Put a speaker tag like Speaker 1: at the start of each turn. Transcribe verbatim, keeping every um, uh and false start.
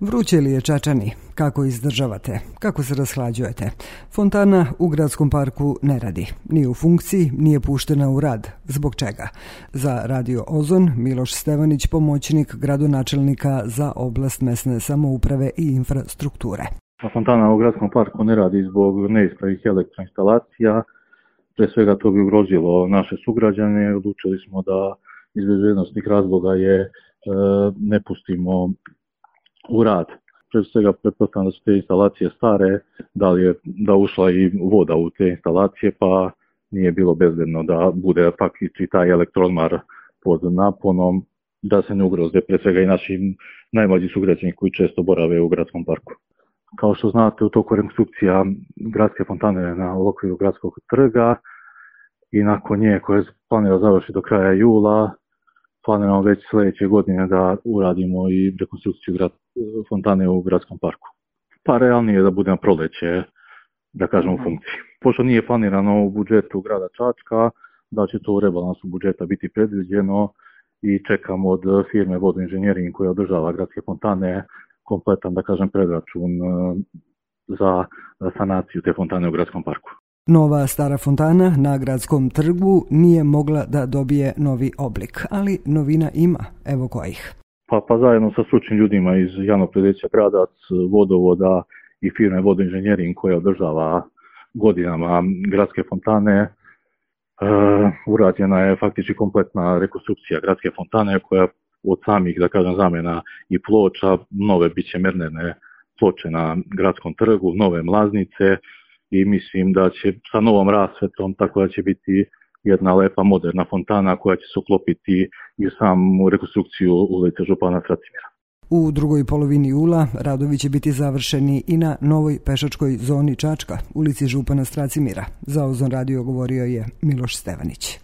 Speaker 1: Vruće li je Čačani? Kako izdržavate? Kako se rashlađujete? Fontana u gradskom parku ne radi. Nije u funkciji, nije puštena u rad. Zbog čega? Za Radio Ozon Miloš Stevanić, pomoćnik gradonačelnika za oblast mesne samouprave i infrastrukture.
Speaker 2: Fontana u gradskom parku ne radi zbog neispravnih elektroinstalacija. Pre svega to bi ugrozilo naše sugrađane. Odlučili smo da iz bezbednosnih razloga je e, ne pustimo u rad. Pre svega pretpostavljam da su te instalacije stare, da li je da ušla i voda u te instalacije, pa nije bilo bezbedno da bude faktički taj elektroodmar pod naponom, da se ne ugroze pre svega i naši najmlađi sugrađani koji često borave u gradskom parku. Kao što znate, u toku rekonstrukcija gradske fontane na okviru gradskog trga i nakon nje koje planira završiti do kraja jula, planiramo već sljedeće godine da uradimo i rekonstrukciju grad, fontane u gradskom parku. Pa realnije je da bude na proleće, da kažem, u funkciji. Pošto nije planirano u budžetu grada Čačka, da će to u rebalansu budžeta biti predviđeno i čekamo od firme Vodoinženjering koja održava gradske fontane kompletan, da kažem, predračun za sanaciju te fontane u gradskom parku.
Speaker 1: Nova stara fontana na gradskom trgu nije mogla da dobije novi oblik, ali novina ima. Evo kojih.
Speaker 2: Pa, pa zajedno sa stručnim ljudima iz javnog preduzeća Gradac, Vodovoda i firme Vodoinženjering koja održava godinama gradske fontane, e, urađena je faktički kompletna rekonstrukcija gradske fontane koja od samih, da kažem, zamena i ploča, nove biće mernene ploče na gradskom trgu, nove mlaznice i mislim da će sa novom rasvetom, tako da će biti jedna lepa moderna fontana koja će se uklopiti i samu rekonstrukciju ulice Župana Stracimira.
Speaker 1: U drugoj polovini jula radovi će biti završeni i na novoj pešačkoj zoni Čačka, ulici Župana Stracimira. Za Ozon radio govorio je Miloš Stevanić.